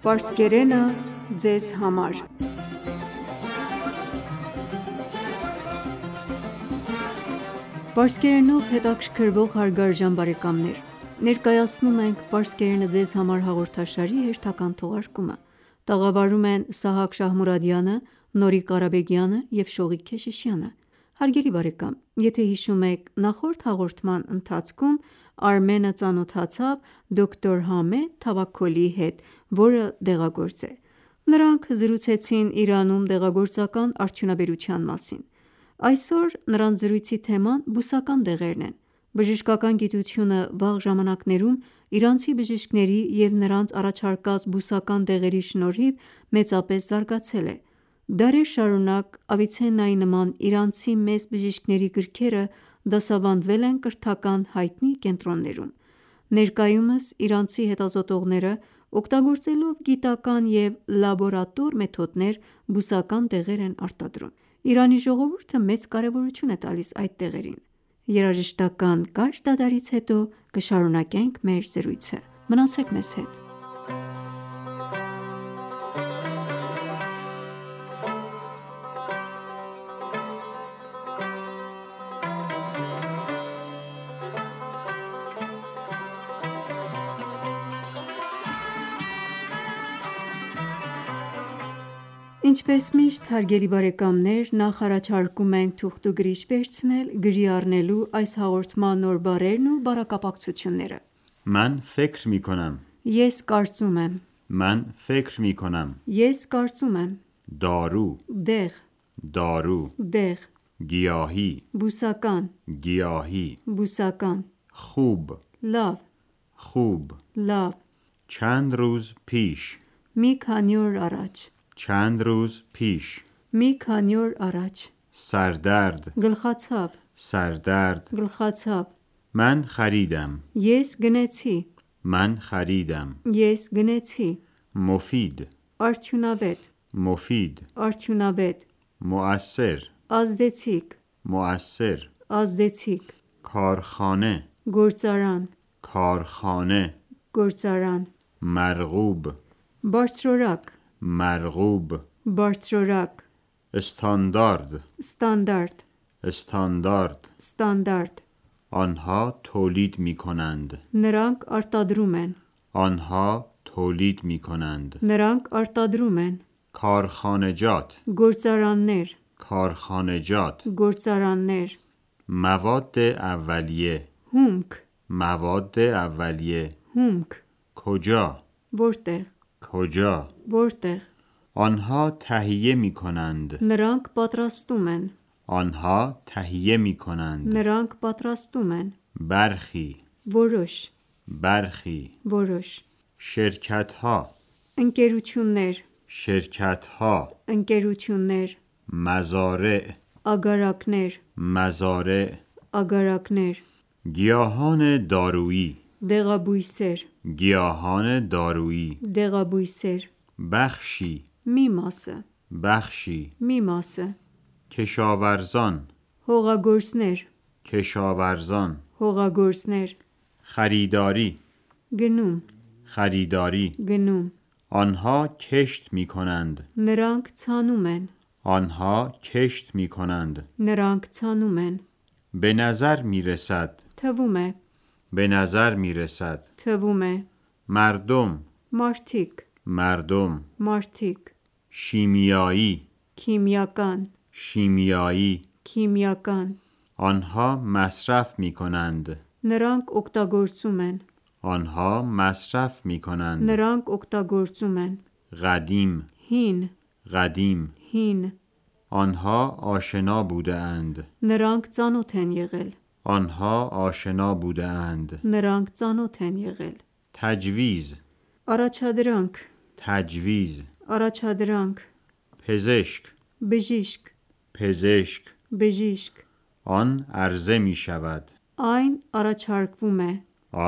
Պարսկերենը ձեզ համար Պարսկերենով հետաքրքրվող հարգարժան բարեկամներ, ներկայացնում ենք «Պարսկերենը ձեզ համար» հաղորդաշարի հերթական թողարկումը: Տաղավարում են Սահակ Շահմուրադյանը, Նորիկ Ղարաբեգյանը և Շողիկ Քեշիշյանը: Հարգելի բարեկամ, եթե հիշում եք, նախորդ հաղորդման ընթացքում Արմենը ծանոթացավ դոկտոր Համեդ Թավաքոլիի հետ, որը դեղագործ է: Նրանք զրուցեցին Իրանում դեղագործական արդյունաբերության մասին: Այսօր նրանց զրույցի թեման բուսական դեղերն են: Բժշկական գիտությունը վաղ ժամանակներում իրանցի բժիշկների և նրանց առաջարկած բուսական դեղերի շնորհիվ մեծապես զարգացել է: Դարեր շարունակ Ավիցեննայի նման իրանցի մեծ բժիշկների գրքերը դասավանդվել են կրթական հայտնի կենտրոններում: Ներկայումս իրանցի հետազոտողները օգտագործելով գիտական և լաբորատոր մեթոդներ բուսական դեղեր են արտադրում: Իրանի ժողովուրդը մեծ կարևորություն է տալիս այդ դեղերին: Երաժշտական կարճ դադարից հետո կշարունակենք մեր զրույցը: Մնացեք մեզ հետ: Ինչպես միշտ, հարգելի բարեկամներ, նախ առաջարկում ենք թուղթ ու գրիչ վերցնել գրի առնելու այս հաղորդման նոր բառերն ու բառակապակցությունները: من فکر می کنم Ես կարծում եմ من فکر می کنم Ես կարծում եմ دارو Դեղ دارو Դեղ گیاهی Բուսական گیاهی Բուսական خوب Լավ خوب Լավ چند روز پیش Մի քանի օր առաջ چند روز پیش Մի քանի օր առաջ سردرد Գլխացավ سردرد Գլխացավ من خریدم Ես գնեցի من خریدم Ես գնեցի مفید Արդյունավետ مفید Արդյունավետ مؤثر Ազդեցիկ مؤثر Ազդեցիկ کارخانه Գործարան کارخانه Գործարան مرغوب Բարձրորակ مرغوب Բարձրորակ استاندارد Ստանդարտ استاندارد Ստանդարտ آنها تولید می کنند Նրանք արտադրում են آنها تولید می کنند Նրանք արտադրում են کارخانجات Գործարաններ کارخانجات Գործարաններ مواد اولیه Հումք مواد اولیه Հումք کجا Որտեղ کجا Որտեղ آنها تهیه می کنند Նրանք պատրաստում են آنها تهیه می کنند Նրանք պատրաստում են برخی Որոշ برخی Որոշ شرکت ها Ընկերություններ شرکت ها Ընկերություններ مزارع Ագարակներ مزارع Ագարակներ گیاهان دارویی Դեղաբույսեր گیاهان دارویی Դեղաբույսեր بخشی Մի մասը بخشی Մի մասը کشاورزان Հողագործներ کشاورزان Հողագործներ خریداری Գնում خریداری Գնում آنها کشت می کنند Նրանք ցանում են آنها کشت می کنند Նրանք ցանում են به نظر می رسد Թվում է به نظر می رسد Թվում է مردم Մարդիկ مردم Մարդիկ شیمیایی Քիմիական شیمیایی Քիմիական آنها مصرف می کنند Նրանք օգտագործում են آنها مصرف می کنند Նրանք օգտագործում են قدیم Հին قدیم Հին آنها آشنا بوده اند Նրանք ծանոթ են եղել آنها آشنا بوده اند Նրանք ծանոթ են եղել تجویز Առաջադրանք تجویز Առաջադրանք پزشک Բժիշկ پزشک Բժիշկ آن عرضه می شود Այն առաջարկվում է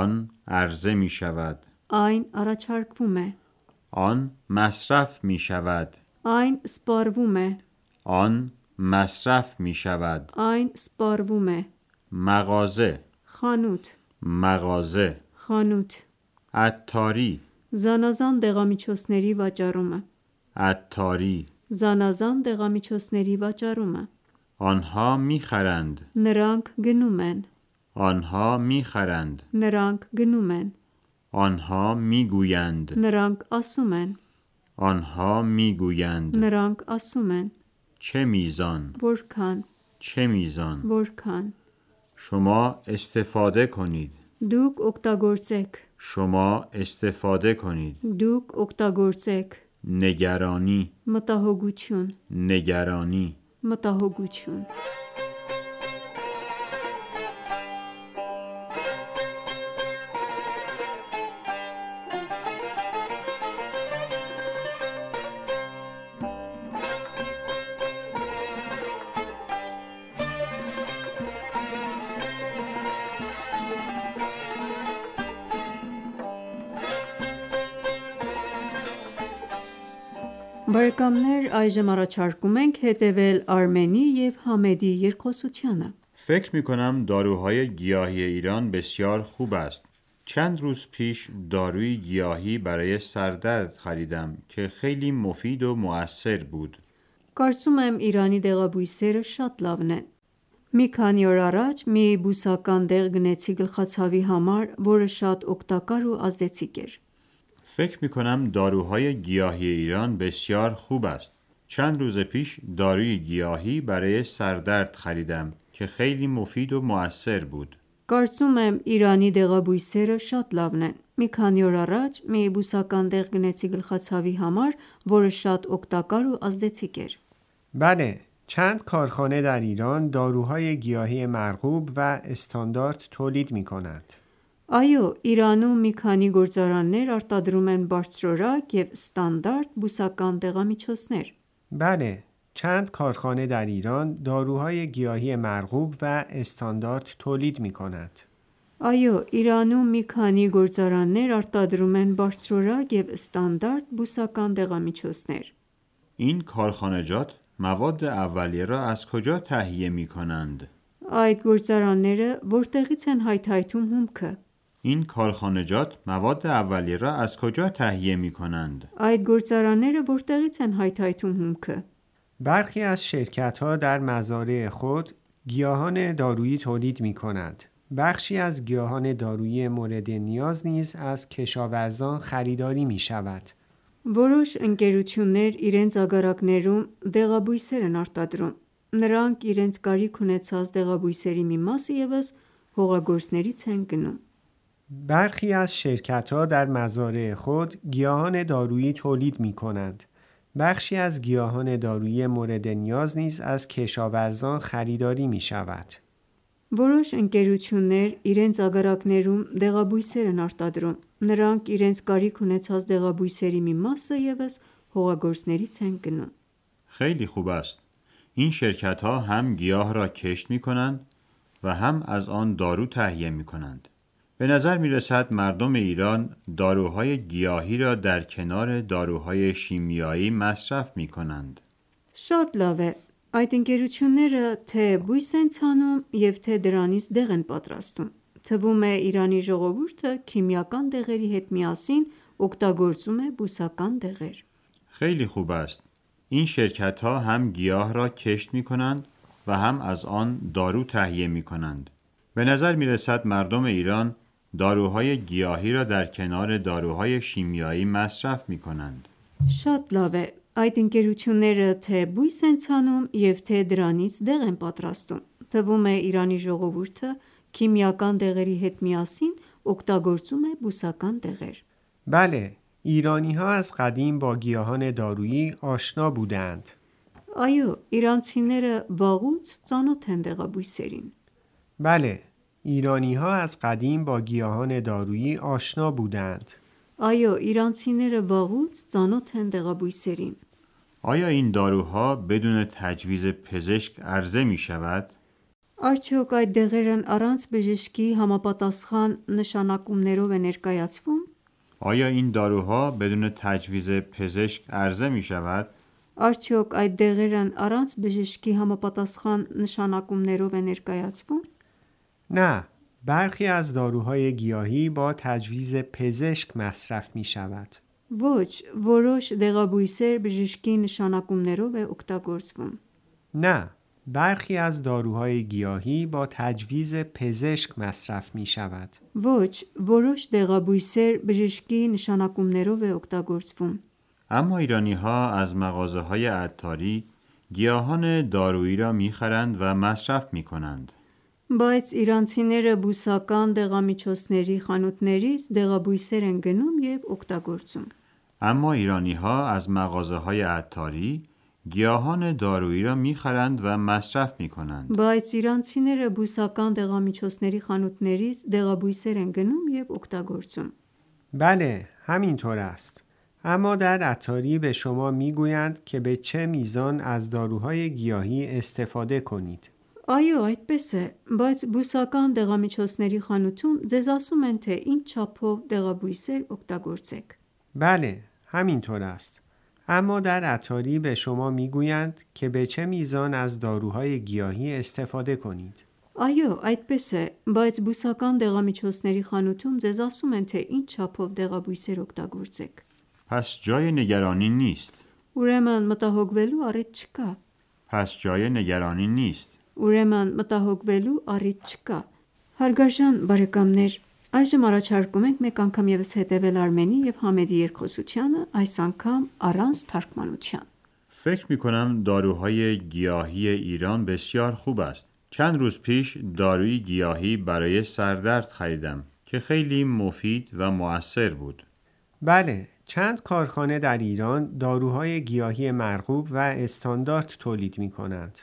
آن عرضه می شود Այն առաջարկվում է آن مصرف می شود Այն սպառվում է آن مصرف می شود Այն սպառվում է مغازه Խանութ مغازه Խանութ عطاری Զանազան դեղամիջոցների վաճառումը, عطاری Զանազան դեղամիջոցների վաճառումը, آنها میخرند Նրանք գնում են, آنها میخرند Նրանք գնում են, آنها میگویند Նրանք ասում են, آنها میگویند Նրանք ասում են, چه میزان Որքան, چه میزان Որքան, شما استفاده کنید Դուք օգտագործեք, شما استفاده کنید Դուք օգտագործեք, نگرانی Մտահոգություն, نگرانی Մտահոգություն, Բարեկամներ, այժմ առաջարկում ենք հետևել Արմենի և Համեդի երկխոսությանը։ فکر می کنم داروهای گیاهی ایران بسیار خوب است. چند روز پیش داروی گیاهی برای سردرد خریدم که خیلی مفید و مؤثر بود. Կարծում եմ Իրանի դեղաբույսերը շատ լավն են։ Մի քանի օր առաջ մի բուսական դեղ գնեցի գլխացավի համար, որը շատ օգտակար ու ազդեցիկ էր։ فکر می کنم داروهای گیاهی ایران بسیار خوب است. چند روز پیش داروی گیاهی برای سردرد خریدم که خیلی مفید و مؤثر بود. Կարծում եմ Իրանի դեղաբույսերը շատ լավն են։ Մի քանի օր առաջ մի բուսական դեղ գնեցի գլխացավի համար, որը շատ օգտակար ու ազդեցիկ էր։ بله، چند کارخانه در ایران داروهای گیاهی مرغوب و استاندارد تولید می کنند. Այո, Իրանում մի քանի գործարաններ արտադրում են բարձրորակ և ստանդարտ բուսական դեղամիջոցներ։ بله، چند کارخانه در ایران داروهای گیاهی مرغوب و استاندارد تولید می کنند. Այո, Իրանում մի քանի գործարաններ արտադրում են բարձրորակ և ստանդարտ բուսական դեղամիջոցներ։ این کارخانجات مواد اولیه را از کجا تهیه می کنند؟ Այդ գործարանները որտեղից են հայթայթում հումքը։ این کارخانجات مواد اولیه را از کجا تهیه می کنند؟ Այդ գործարանները որտեղից են հայթայթում հումքը։ برخی از شرکت‌ها در مزارع خود گیاهان دارویی تولید می کنند. بخشی از گیاهان دارویی مورد نیاز نیز از کشاورزان خریداری می شود. Որոշ ընկերություններ իրենց ագարակներում դեղաբույսեր են արտադրում։ Նրանք իրենց կարիք ունեցած դեղաբույսերի մի մասը ևս հողագործներից են գնում։ برخی از شرکت‌ها در مزارع خود گیاهان دارویی تولید می کنند. بخشی از گیاهان دارویی مورد نیاز نیز از کشاورزان خریداری می شود. Որոշ ընկերություններ իրենց ագարակներում դեղաբույսեր են արտադրում։ Նրանք իրենց կարիք ունեցած դեղաբույսերի մի մասը ևս հողագործներից են գնում։ خیلی خوب است. این شرکت ها هم گیاه را کشت می کنند و هم از آن دارو تهیه می کنند. به نظر می رسد مردم ایران داروهای گیاهی را در کنار داروهای شیمیایی مصرف می کنند. Շատ լավ է։ Այդ ընկերությունները թե բույս են ցանում և թե դրանից դեղ են պատրաստում։ Թվում է Իրանի ժողովուրդը քիմիական դեղերի հետ միասին օգտագործում է բուսական դեղեր։ خیلی خوب است. این شرکت ها هم گیاه را کشت می کنند و هم از آن دارو تهیه می کنند. به نظر می رسد مردم ایران داروهای گیاهی را در کنار داروهای شیمیایی مصرف می کنند. Շատ լավ է։ Այդ ընկերությունները թե բույս են ցանում և թե դրանից դեղ են պատրաստում։ Թվում է Իրանի ժողովուրդը քիմիական դեղերի հետ միասին օգտագործում է բուսական դեղեր։ بله، ایرانی‌ها از قدیم با گیاهان دارویی آشنا بودند. Այո, իրանցիները վաղուց ծանոթ են դեղաբույսերին։ بله، ایرانی‌ها از قدیم با گیاهان دارویی آشنا بودند. Այո, իրանցիները վաղուց ծանոթ են դեղաբույսերին։ آیا این داروها بدون تجویز پزشک عرضه می شود؟ Արդյոք այդ դեղերն առանց բժշկի համապատասխան նշանակումներով է ներկայացվում։ آیا این داروها بدون تجویز پزشک عرضه می شود؟ Արդյոք այդ դեղերն առանց բժշկի համապատասխան նշանակումներով է ներկայացվում։ نه، برخی از داروهای گیاهی با تجویز پزشک مصرف می شود. Ոչ, որոշ դեղաբույսեր բժշկի նշանակումներով է օգտագործվում. نه، برخی از داروهای گیاهی با تجویز پزشک مصرف می شود. Ոչ, որոշ դեղաբույսեր բժշկի նշանակումներով է օգտագործվում. اما ایرانی ها از مغازه های عطاری گیاهان دارویی را میخرند و مصرف میکنند. Բայց իրանցիները բուսական դեղամիջոցների խանութներից դեղաբույսեր են գնում և օգտագործում. اما ایرانی ها از مغازه های عطاری گیاهان دارویی را میخرند و مصرف میکنند. Բայց իրանցիները բուսական դեղամիջոցների խանութներից դեղաբույսեր են գնում և օգտագործում. بله، همینطور است. اما در عطاری به شما میگویند که به چه میزان از داروهای گیاهی استفاده کنید. Այո, այդպես է, բայց բուսական դեղամիջոցների խանութում ձեզ ասում են, թե ինչ չափով դեղաբույսեր օգտագործեք. بله، همینطور است. اما در عطاری به شما میگویند که به چه میزان از داروهای گیاهی استفاده کنید. Այո, այդպես է, բայց բուսական դեղամիջոցների խանութում ձեզ ասում են, թե ինչ չափով դեղաբույսեր օգտագործեք. پس جای نگرانی نیست. Ուրեմն մտահոգվելու առիթ չկա. پس جای نگرانی نیست. Ուրեմն մտահոգվելու առիթ չկա. Հարգարժան բարեկամներ, այժմ առաջարկում ենք մեկ անգամ ևս հետևել Արմենի և Համեդի երկխոսությանը, այս անգամ առանց թարգմանության. فکر میکنم داروهای گیاهی ایران بسیار خوب است. چند روز پیش داروی گیاهی برای سردرد خریدم که خیلی مفید و مؤثر بود. بله، چند کارخانه در ایران داروهای گیاهی مرغوب و استاندارد تولید می کنند.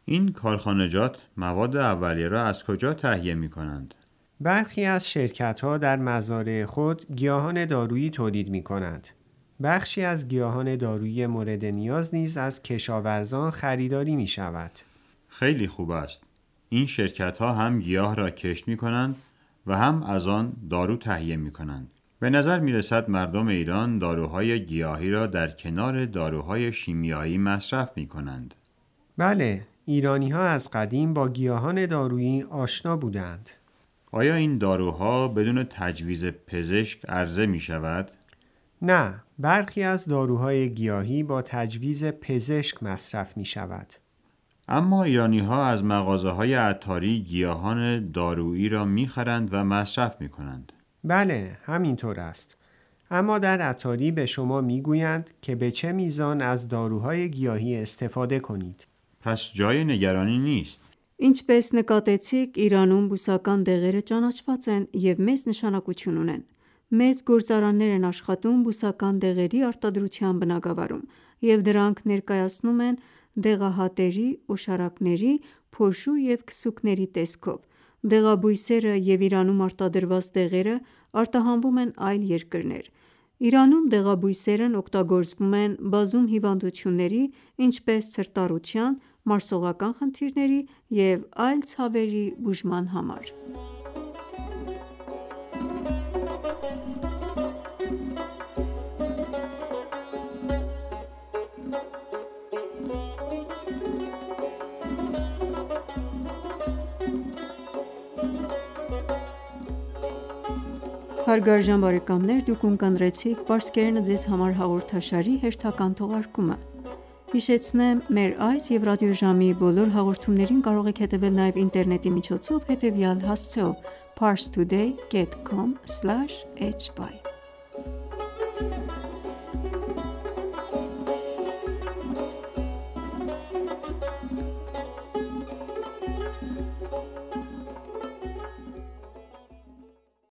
این کارخانجات مواد اولیه را از کجا تهیه می کنند؟ برخی از شرکت‌ها در مزارع خود گیاهان دارویی تولید می کنند. بخشی از گیاهان دارویی مورد نیاز نیز از کشاورزان خریداری می شود. خیلی خوب است. این شرکت‌ها هم گیاه را کشت می کنند و هم از آن دارو تهیه می کنند. به نظر می رسد مردم ایران داروهای گیاهی را در کنار داروهای شیمیایی مصرف می کنند. بله، ایرانی‌ها از قدیم با گیاهان دارویی آشنا بودند. آیا این داروها بدون تجویز پزشک عرضه می شود؟ نه، برخی از داروهای گیاهی با تجویز پزشک مصرف می شود. اما ایرانی‌ها از مغازه‌های عطاری گیاهان دارویی را می‌خرند و مصرف می‌کنند. بله، همینطور است. اما در عطاری به شما میگویند که به چه میزان از داروهای گیاهی استفاده کنید. پس جای نگرانی نیست. Ինչպես նկատեցիք, Իրանում բուսական դեղերը ճանաչված են և մեծ նշանակություն ունեն։ Մեծ գործարաններ են աշխատում բուսական դեղերի արտադրության բնագավառում, և դրանք ներկայացնում են դեղահատերի, օշարակների, փոշու և քսուկների տեսքով։ Դեղաբույսերը և Իրանում արտադրված դեղերը արտահանվում են այլ երկրներ։ Իրանում դեղաբույսերն օգտագործվում են բազում հիվանդությունների, ինչպես ցրտառության, մարսողական խնդիրների և այլ ցավերի բուժման համար։ Հարգարժան բարեկամներ, դուք ունկնդրեցիք «Պարսկերենը ձեզ համար» հաղորդաշարի հերթական թողարկումը։ Հիշեցնեմ, մեր այս և ռադիոժամի բոլոր հաղորդումներին կարող եք հետևել նաև ինտերնետի միջոցով հետևյալ հասցեով՝ parstoday.com/hy